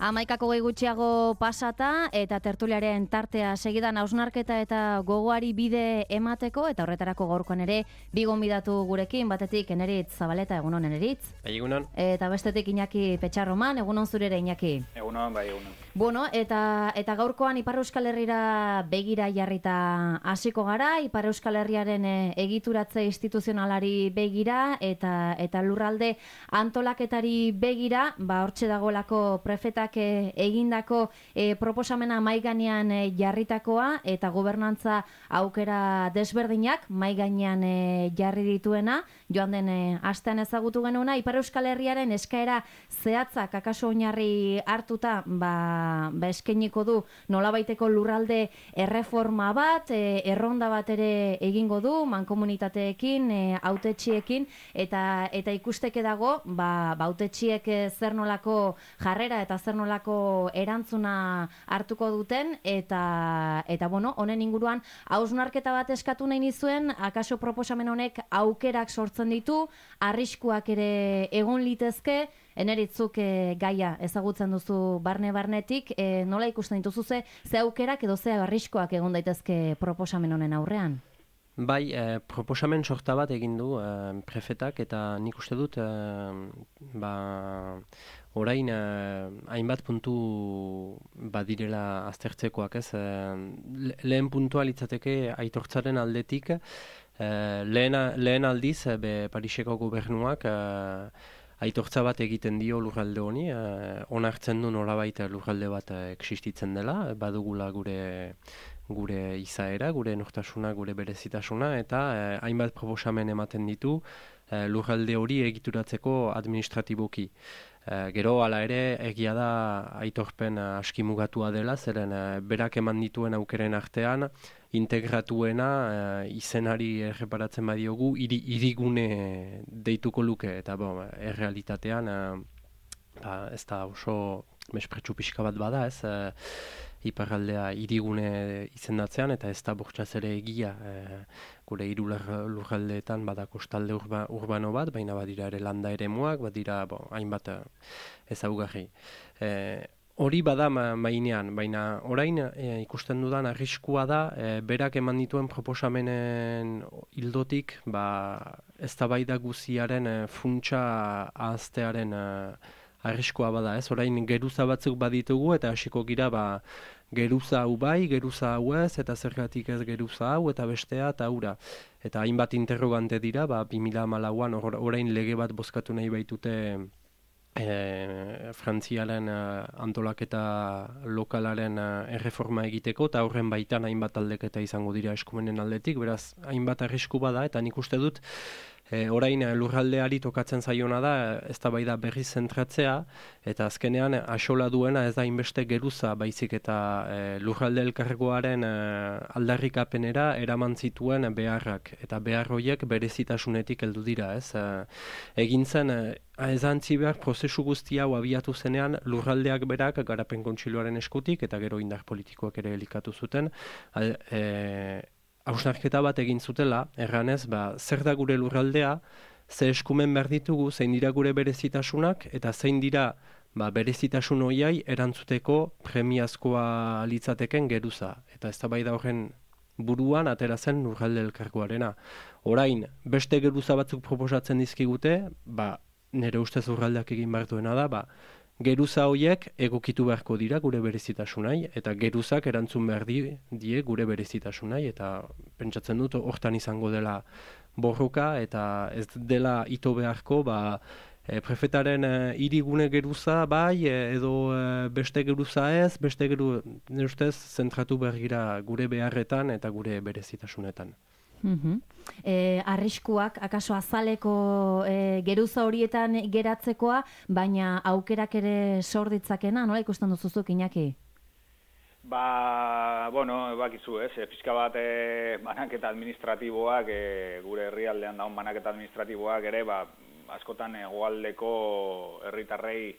11 gutxiago pasata eta tertuliaren tartea segidan hausnarketa eta gogoari bide emateko eta horretarako gaurkoan ere bi gonbidatu gurekin, batetik Eneritz Zabaleta, egunon Eneritz. Egunon. Eta bestetik Iñaki Petxarroman, egunon zurere Iñaki. Egunon, bai, egunon. Bueno, eta gaurkoan Ipar Euskal Herrira begira jarrita hasiko gara, Ipar Euskal Herriaren egituratze instituzionalari begira eta lurralde antolaketari begira, hortxe dagoelako prefetak egindako proposamena mahai gainean jarritakoa eta gobernantza aukera desberdinak mahai gainean jarri dituena, joan den astean ezagutu genuena, Ipar Euskal Herriaren eskaera zehatzak akaso oinarri hartuta eskainiko du nolabaiteko lurralde erreforma bat, erronda bat ere egingo du mankomunitateekin, hautetxiekin eta ikusteke dago hautetxiek zer nolako jarrera eta zer nolako erantzuna hartuko duten eta bueno, honen inguruan hausnarketa bat eskatu nahi nizuen, akaso proposamen honek aukerak sortzen ditu, arriskuak ere egon litezke. Eneritzuk gaia ezagutzen duzu barnetik, nola ikusten dituzu ze aukerak edo ze arriskuak egon daitezke proposamen honen aurrean? Bai, proposamen sorta bat egin du prefetak eta nik uste dut orain hainbat puntu badirela aztertzekoak, ez? Lehen puntua litzateke aitortzaren aldetik, lehen aldiz Pariseko gobernuak aitortza bat egiten dio lurralde honi, onartzen du nolabait lurralde bat existitzen dela, badugula gure izaera, gure nortasuna, gure berezitasuna, eta hainbat proposamen ematen ditu lurralde hori egituratzeko administratiboki. Gero, hala ere, egia da aitorpen askimugatua dela, zeren berak eman dituen aukeren artean, integratuena izenari erreparatzen badiogu hirigune deituko luke, eta errealitatean ez da oso mespretsu pixka bat bada, ez iparraldea hirigune izendatzean, eta ez da bortxaz ere egia gure hiru lurraldeetan bada kostalde urbano bat, baina badira ere landa eremuak, badira hainbat ezaugarri. Hori bada mainean, baina orain ikusten dudan arriskua da, berak eman dituen proposamenen hildotik, eztabaida guziaren funtsa ahaztearen arriskua bada, ez? Orain geruza batzuk baditugu eta hasiko gira geruza hau bai, geruza hau ez, eta zergatik ez geruza hau, eta bestea, eta hura. Eta hainbat interrogante dira, 2014an orain lege bat bozkatu nahi baitute Frantziaren antolaketa lokalaren erreforma egiteko, eta horren baitan hainbat aldeketa izango dira eskumenen aldetik, beraz hainbat arrisku bada, eta nik uste dut orain lurraldeari tokatzen zaiona da, eztabaida berriz zentratzea, eta azkenean axola duena ez da inbeste geruza, baizik eta lurralde elkargoaren aldarrikapenera eraman zituen beharrak, eta behar horiek berezitasunetik heldu dira, ez? Egin zen, ez antzi behar prozesu guzti hau abiatu zenean lurraldeak berak garapen kontseiluaren eskutik, eta gero indar politikoak ere elikatu zuten, hausnarketa bat egin zutela, erranez, zer da gure lurraldea, ze eskumen behar ditugu, zein dira gure berezitasunak, eta zein dira berezitasun horiai erantzuteko premiazkoa litzateken geruza. Eta eztabaida horren buruan atera zen lurralde elkargoarena. Orain, beste geruza batzuk proposatzen dizkigute, nire ustez lurraldeak egin behar duena da, geruza horiek egokitu beharko dira gure berezitasunai, eta geruzak erantzun behar die gure berezitasunai, eta pentsatzen dut hortan izango dela borroka, eta ez dela ito beharko, prefetaren hirigune geruza bai, edo beste geruza ez, nire ustez zentratu behar gira gure beharretan eta gure berezitasunetan. Arriskuak, akaso azaleko geruza horietan geratzekoa, baina aukerak ere sor ditzakena, nola ikusten duzuzuk, Iñaki? Bakizu, ez? Pixka bat banaketa administratiboak, gure herrialdean daun banaketa administratiboak ere, askotan hegoaldeko herritarrei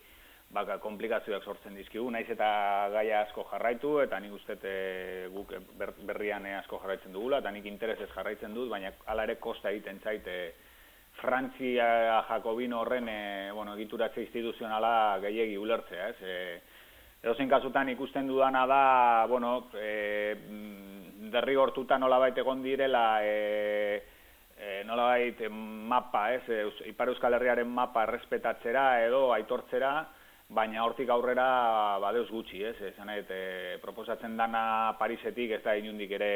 komplikazioak sortzen dizkigu, naiz eta gaia asko jarraitu, eta nik uste guk berrian asko jarraitzen dugula, eta nik interesez jarraitzen dut, baina hala ere kosta egiten zait Frantzia Jakobino horren egituratze instituzionala gehiegi ulertzea, ez? Edozein kasutan ikusten dudana da, bueno, derrigortuta nolabait egon direla, nolabait mapa, Ipar Euskal Herriaren mapa errespetatzera edo aitortzera, baina hortik aurrera badeuz gutxi, esan proposatzen dana Parisetik, ez da inundik ere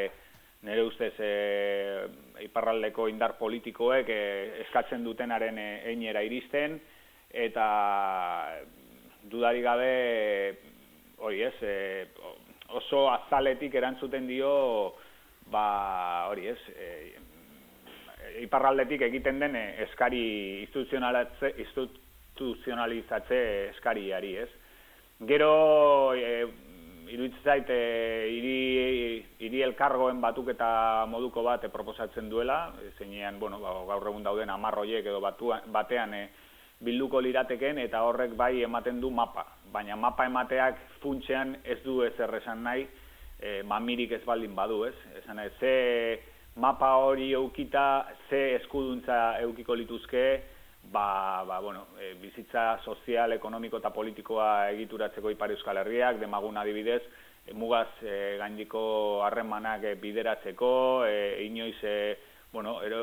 nire ustez iparraldeko indar politikoek eskatzen dutenaren einera iristen, eta dudarik gabe hori oso azaletik erantzuten dio hori iparraldetik egiten den eskari instituzionalizatze eskariari, Gero iruditzen zait hiri elkargoen batuketa moduko bat proposatzen duela, zeinean, bueno, gaur egun dauden 10 horiek edo batean bilduko lirateken, eta horrek bai ematen du mapa. Baina mapa emateak funtsean ez du ezer esan nahi, mamirik ez baldin badu, Esan ze mapa hori eukita, ze eskuduntza eukiko lituzke, bizitza sozial, ekonomiko eta politikoa egituratzeko Ipar Euskal Herriak, demagun adibidez, mugaz gaindiko harremanak bideratzeko, inoiz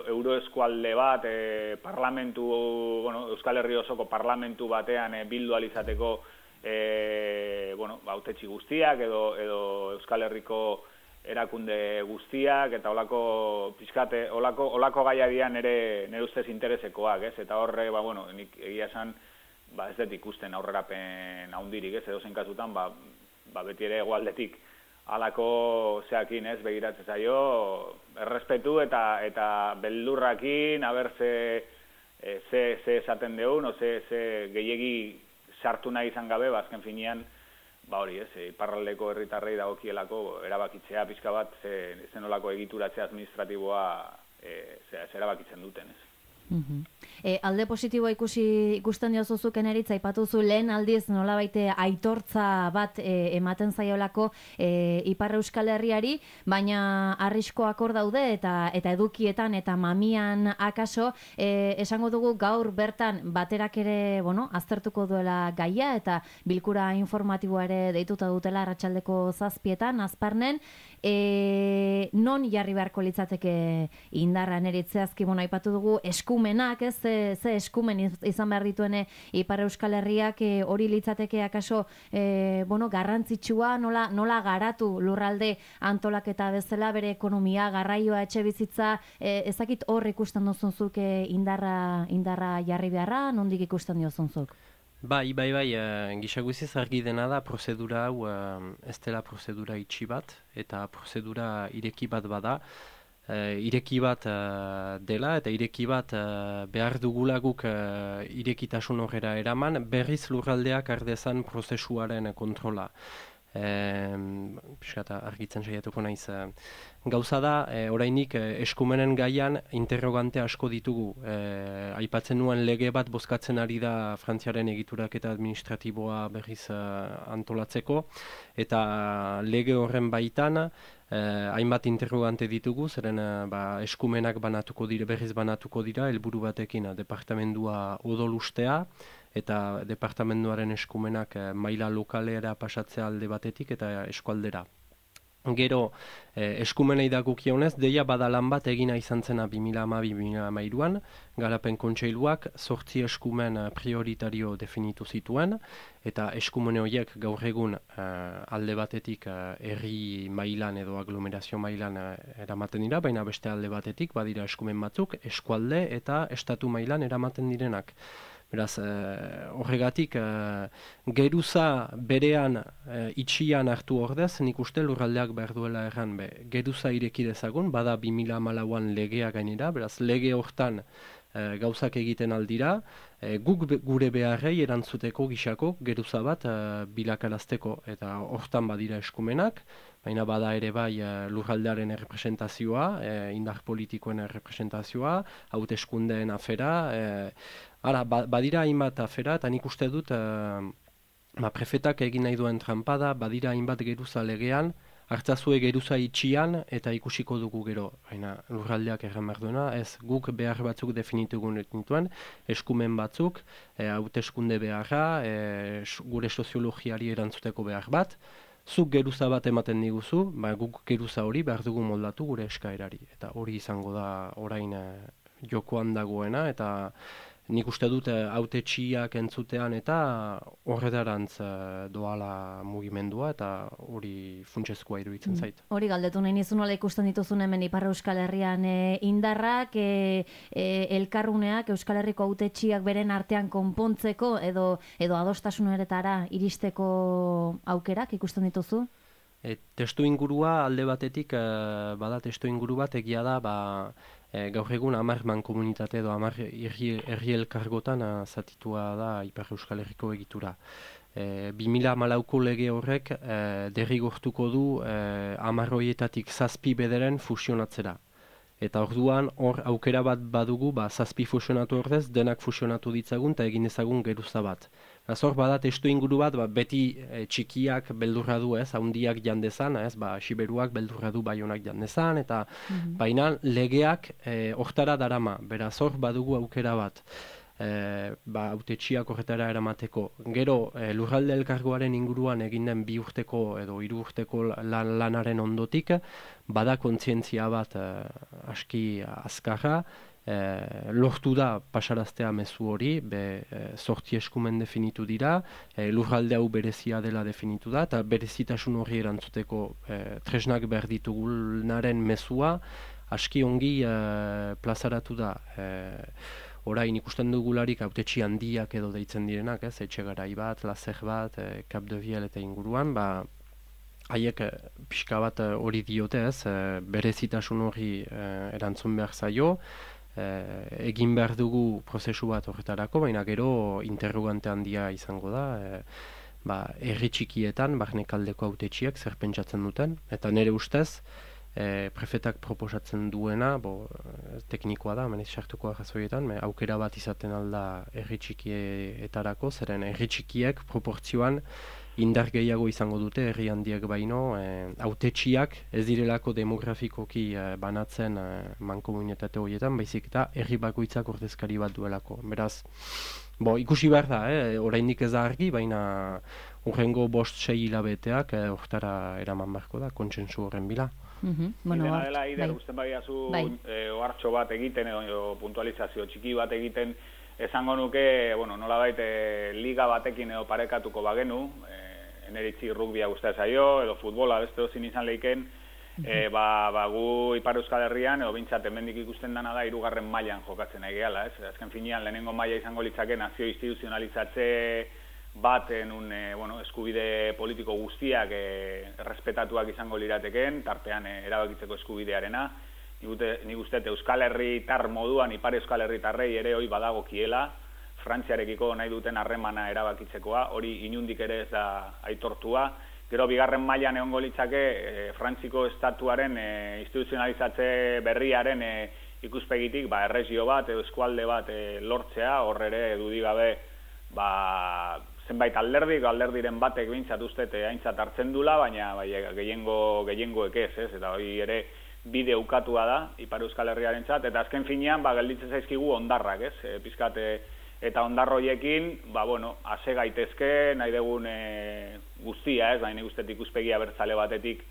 euroeskualde bat, Euskal Herri osoko parlamentu batean bildu alizateko hautetsi guztiak edo Euskal Herriko erakunde guztiak, eta olako gaiadian nire ustez interesekoak, eta horre, nik egia esan, ez dut ikusten aurrerapen haundirik, edozein kasutan, beti ere egualdetik alako zeakin, begiratzen zaio, errespetu eta beldurrakin, haber ze esaten deun, ze gehiegi sartu nahi izan gabe, azken finean, iparraldeko herritarrei dagokielako erabakitzea pixka bat, zenolako egituratze administratiboa erabakitzen duten, Alde positiboa ikusten diozuzuk eneritza, aipatuzu lehen aldiz nolabaite aitortza bat ematen zaiolako Ipar Euskal Herriari, baina arriskoak hor daude eta edukietan eta mamian akaso, esango dugu gaur bertan baterak ere, aztertuko duela gaia eta bilkura informatiboa ere deituta dutela arratsaldeko 7:00 Azparnen, non jarri beharko litzateke indarra neritzeazki, aipatu dugu eskumenak, ze eskumen izan behar dituen Ipar Euskal Herriak, hori litzateke akaso garrantzitsua, nola garatu lurralde antolaketa bezala, bere ekonomia, garraioa, etxe bizitza, ezakit hor ikusten duzunzuk indarra jarri beharra, nondik ikusten diozunzuk? Bai, gisa guziz argi dena da prozedura hau ez dela prozedura itxi bat, eta prozedura ireki bat bada, ireki bat dela, eta ireki bat behar dugulaguk irekitasun horrela eraman, berriz lurraldeak ardezan prozesuaren kontrola. Argitzen saiatuko naiz. Gauza da, orainik eskumenen gaian interrogante asko ditugu. Aipatzen nuen lege bat bozkatzen ari da Frantziaren egituraketa administratiboa berriz antolatzeko, eta lege horren baitan hainbat interrogante ditugu, zeren eskumenak berriz banatuko dira, helburu batekin departamendua odolustea, eta departamenduaren eskumenak maila lokalera pasatzea alde batetik eta eskualdera. Gero, eskumenei dagokionez, deia bada lan bat egina izan zena 2012-2013an, Garapen Kontseiluak 8 eskumen prioritario definitu zituen, eta eskumen horiek gaur egun alde batetik herri mailan edo aglomerazio mailan eramaten dira, baina beste alde batetik badira eskumen batzuk, eskualde eta estatu mailan eramaten direnak. Beraz, horregatik, geruza berean itxian hartu ordez, nik uste lurraldeak behar duela erran, geruza ireki dezagun, bada 2014an legea gainera, beraz, lege hortan gauzak egiten aldira, guk gure beharrei erantzuteko gisako geruza bat bilakarazteko, eta hortan badira eskumenak, baina bada ere bai lurraldearen errepresentazioa, indar politikoen errepresentazioa, hauteskundeen afera, badira hainbat afera, eta nik uste dut prefetak egin nahi duen trampada, badira hainbat geruza legean, hartzazue geruza itxian eta ikusiko dugu gero, baina lurraldeak erran behar duena, ez guk behar batzuk definitugun dituen, eskumen batzuk, hauteskunde beharra, gure soziologiari erantzuteko behar bat, zuk geruza bat ematen diguzu, guk geruza hori behar dugu moldatu gure eskaerari. Eta hori izango da orain jokoan dagoena, eta nik uste dut hautetsiak entzutean eta horretarantz doala mugimendua, eta hori funtsezkoa iruditzen zait. Hori galdetu nahi nizun nola ikusten dituzun hemen Ipar Euskal Herrian indarrak, elkarruneak, Euskal Herriko hautetsiak beren artean konpontzeko edo adostasuneretara iristeko aukerak ikusten dituzu? Testu ingurua alde batetik, bada testu inguru bat egia da, gaur egun 10 mankomunitate edo 10 herri elkargotan zatitua da Ipar Euskal Herriko egitura. 2014ko lege horrek derrigortuko du 10 horietatik 7 bederen fusionatzera. Eta orduan hor aukera bat badugu, 7 fusionatu ordez, denak fusionatu ditzagun eta egin ezagun geruza bat. Hor bada testu inguru bat, beti txikiak beldurra du, haundiak jandezan, Siberuak beldurra du Baionak jandezan, eta baina legeak hortara darama, beraz hor badugu aukera bat, hautetsiak horretara eramateko. Gero lurralde elkargoaren inguruan egin den 2 urteko edo 3 urteko lanaren ondotik, bada kontzientzia bat aski azkarra, lortu da pasaraztea mezu hori, 8 eskumen definitu dira, lurralde hau berezia dela definitu da, eta berezitasun horri erantzuteko tresnak behar ditugunaren mezua aski ongi plazaratu da. Orain ikusten dugularik hautetsi handiak edo deitzen direnak, Etxegarai bat, Lazer bat, Cap de Viel eta inguruan, haiek pixka bat hori diote, berezitasun hori erantzun behar zaio, egin behar dugu prozesu bat horretarako, baina gero interrogante handia izango da, herri txikietan, barnekaldeko hautetsiek zer pentsatzen duten, eta nire ustez, prefetak proposatzen duena, teknikoa da, menez sartuko arrazoietan, aukera bat izaten alda herri txikietarako, zeren herri txikiek proportzioan indar gehiago izango dute herri handiak baino, hautetsiak ez direlako demografikoki banatzen mankomunitate horietan, baizik eta herri bakoitzak ordezkari bat duelako. Beraz, ikusi behar da, oraindik ez da argi, baina hurrengo 5-6 hilabeteak hortara eraman beharko da, kontsentsu horren bila. Dena dela, Ider, usten badiazu ohartxo bat egiten, edo puntualizazio txiki bat egiten, esango nuke, nolabait liga batekin edo parekatuko bagenu, eneritzi rugbia guztia zaio, edo futbola beste dozin izan lehiken, gu Ipar Euskal Herrian, edo bintzat hemendik ikusten dana da 3. mailan jokatzen nahi gehala, azken finean lehenengo maila izango litzake nazio instituzionalizatze baten eskubide politiko guztiak errespetatuak izango lirateken, tartean erabakitzeko eskubidearena. Nik uste Euskal Herritar moduan, Ipar Euskal Herritarrei ere hori badagokiela, Frantziarekiko nahi duten harremana erabakitzekoa, hori inundik ere ez da aitortua. Gero 2. mailan egongo litzake Frantziko estatuaren instituzionalizatze berriaren ikuspegitik erregio bat edo eskualde bat lortzea, hor ere dudigabe zenbait alderdiren batek bintzat uste aintzat hartzen dula, baina gehiengoek ez, eta hori ere bide ukatua da Ipar Euskal Herriaren txat, eta azken finean gelditzen zaizkigu ondarrak, pizkat eta ondarroiekin, ase gaitezke, nahi dugun guztia, baina nik ikuspegia bertzale batetik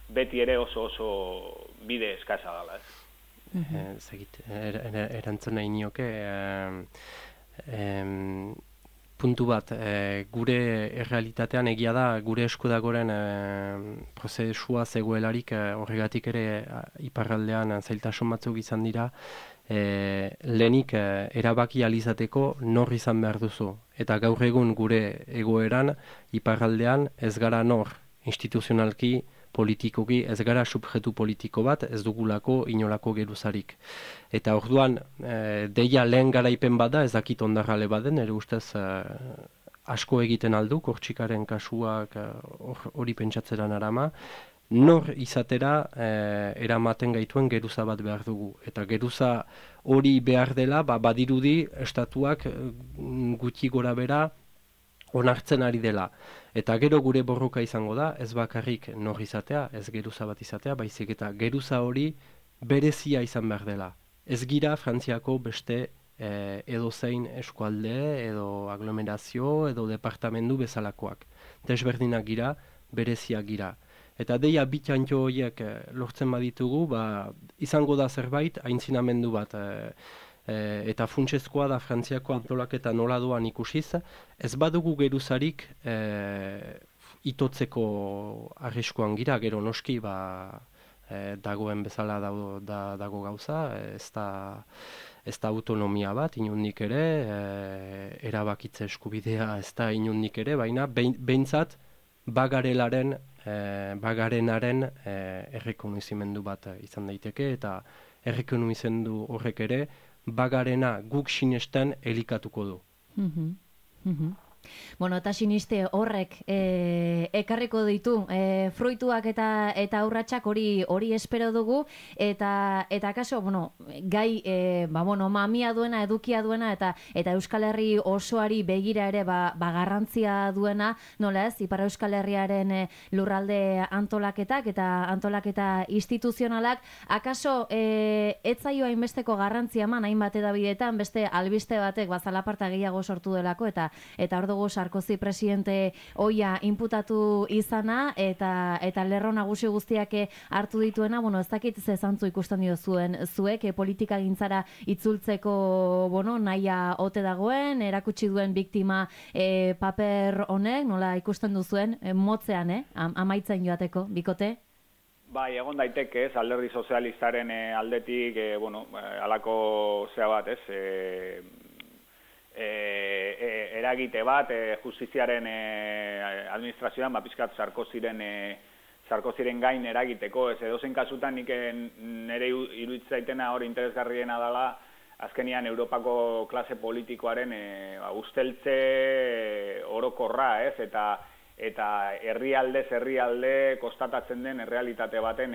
beti ere oso bide eskasa dela, erantzun nahi nioke, puntu bat, gure errealitatean egia da, gure eskudagoren prozesua zegoelarik, horregatik ere iparraldean zailtasun batzuk izan dira, lehenik erabaki alizateko nor izan behar duzu. Eta gaur egun gure egoeran, iparraldean ez gara nor instituzionalki, politikoki, ez gara subjektu politiko bat, ez dugulako inolako geruzarik. Eta orduan, deia lehen garaipen bada, ez dakit ondarrale baden, ere ustez asko egiten aldu, Kortxikaren kasuak hori pentsatzeran arama, nor izatera eramaten gaituen geruza bat behar dugu. Eta geruza hori behar dela, badirudi estatuak gutxi gora bera onartzen ari dela. Eta gero gure borroka izango da, ez bakarrik nor izatea, ez geruza bat izatea, baizik eta geruza hori berezia izan behar dela. Ez gira Frantziako beste edozein eskualde, edo aglomerazio, edo departamendu bezalakoak. Desberdinak gira, bereziak gira. Eta deia bitantxo horiek lortzen baditugu, izango da zerbait, aintzinamendu bat, eta funtsezkoa da Frantziako antolaketa nola doan ikusiz, ez badugu geruzarik itotzeko arriskuan gira, gero noski dagoen bezala dago gauza, ez da autonomia bat, inundik ere, erabakitze eskubidea ez da inundik ere, baina behintzat bagarenaren errekonozimendu bat izan daiteke, eta errekonozimendu horrek ere, bagarena guk sinesten elikatuko du. Bueno, eta siniste horrek ekarriko ditu fruituak eta urratsak hori espero dugu, eta kaso, gai mamia duena, edukia duena, eta Euskal Herri osoari begira ere garrantzia duena, nola ez, Ipar Euskal Herriaren lurralde antolaketak eta antolaketa instituzionalak, akaso ez zaio hainbesteko garrantzia eman hainbat edabideetan, beste albiste batek zalaparta gehiago sortu delako, eta hor dugu Sarkozy presidente oia inputatu izana, eta lerro nagusi guztiak hartu dituena, ez dakit ze zantzu ikusten dio zuek, politika gintzara itzultzeko, nahia ote dagoen, erakutsi duen biktima paper honek, nola ikusten duzuen, motzean, amaitzen joateko, bikote? Bai, egon daiteke, alderdi sozialistaren aldetik, halako zea bat, eragite bat justiziaren administrazioan pizkat Sarkozyren gain eragiteko, ez edozein kasutan nik nire iruditzaitena hori interesgarriena dela azkenian Europako klase politikoaren usteltze orokorra, ez, eta herrialde kostatatzen den errealitate baten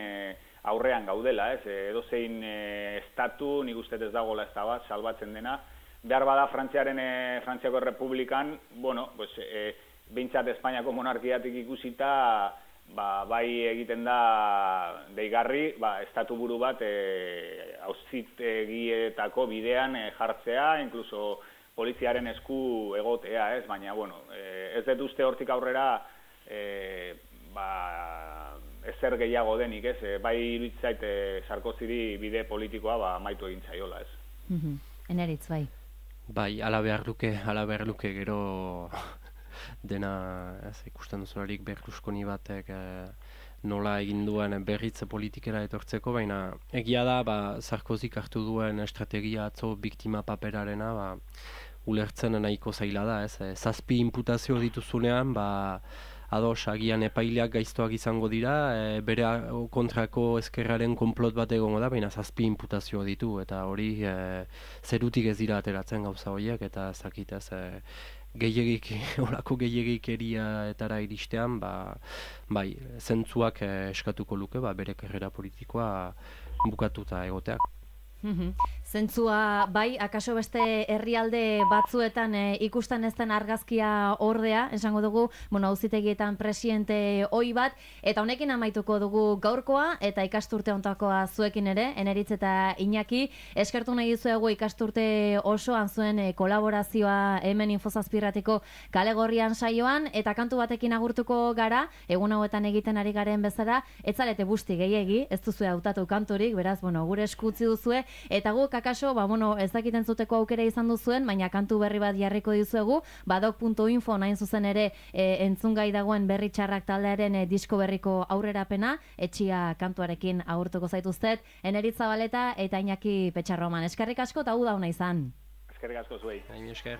aurrean gaudela, ez, edozein estatu nik uste ez dagoela ez da bat, salbatzen dena. Behar bada Frantziako Errepublikan, behintzat Espainiako monarkiatik ikusita, bai egiten da deigarri, estatu buru bat auzitegietako bidean jartzea, inkluso poliziaren esku egotea, ez? Baina, ez dut uste hortik aurrera ezer gehiago denik, ez? Bai iruditzait Sarkozyri bide politikoa amaitu egin zaiola, ez? Eneritz, bai. Bai, ala behar luke gero dena, ikusten duzularik Berlusconi batek nola egin duen berritze politikera etortzeko, baina egia da, Sarkozyk hartu duen estrategia atzo biktima paperarena, ulertzen nahiko zaila da, ez? 7 inputazio dituzunean, ados, agian epaileak gaiztoak izango dira, bere kontrako ezkerraren konplot bat egongo da, baina 7 inputazio ditu, eta hori zerutik ez dira ateratzen gauza horiek, eta ezakit ez, olako gehiagikerietara iristean, bai, zentzuak eskatuko luke, bere karrera politikoa bukatuta egoteak. Zentzua, bai, akaso beste herrialde batzuetan ikusten ez den argazkia ordea, esango dugu, auzitegietan presidente ohi bat, eta honekin amaituko dugu gaurkoa, eta ikasturte hontakoa zuekin ere, Eneritz eta Iñaki, eskertu nahi dizuegu ikasturte osoan zuen kolaborazioa hemen Infozazpirratiko Kale Gorrian saioan, eta kantu batekin agurtuko gara, egun hauetan egiten ari garen bezala, ez zarete busti gehiegi, ez duzue hautatu kanturik, beraz, gure eskutzi duzue, eta guk akaso, ez dakiten zuteko aukera izan duzuen, baina kantu berri bat jarriko dizuegu, badok.info nahin zuzen ere entzungai dagoen Berri Txarrak taldearen disko berriko aurrerapena, etxia kantuarekin agurtuko zaituztet, Eneritz Zabaleta eta Iñaki Petxarroman. Eskerrik asko eta uda ona izan. Eskerrik asko zuei. Esker.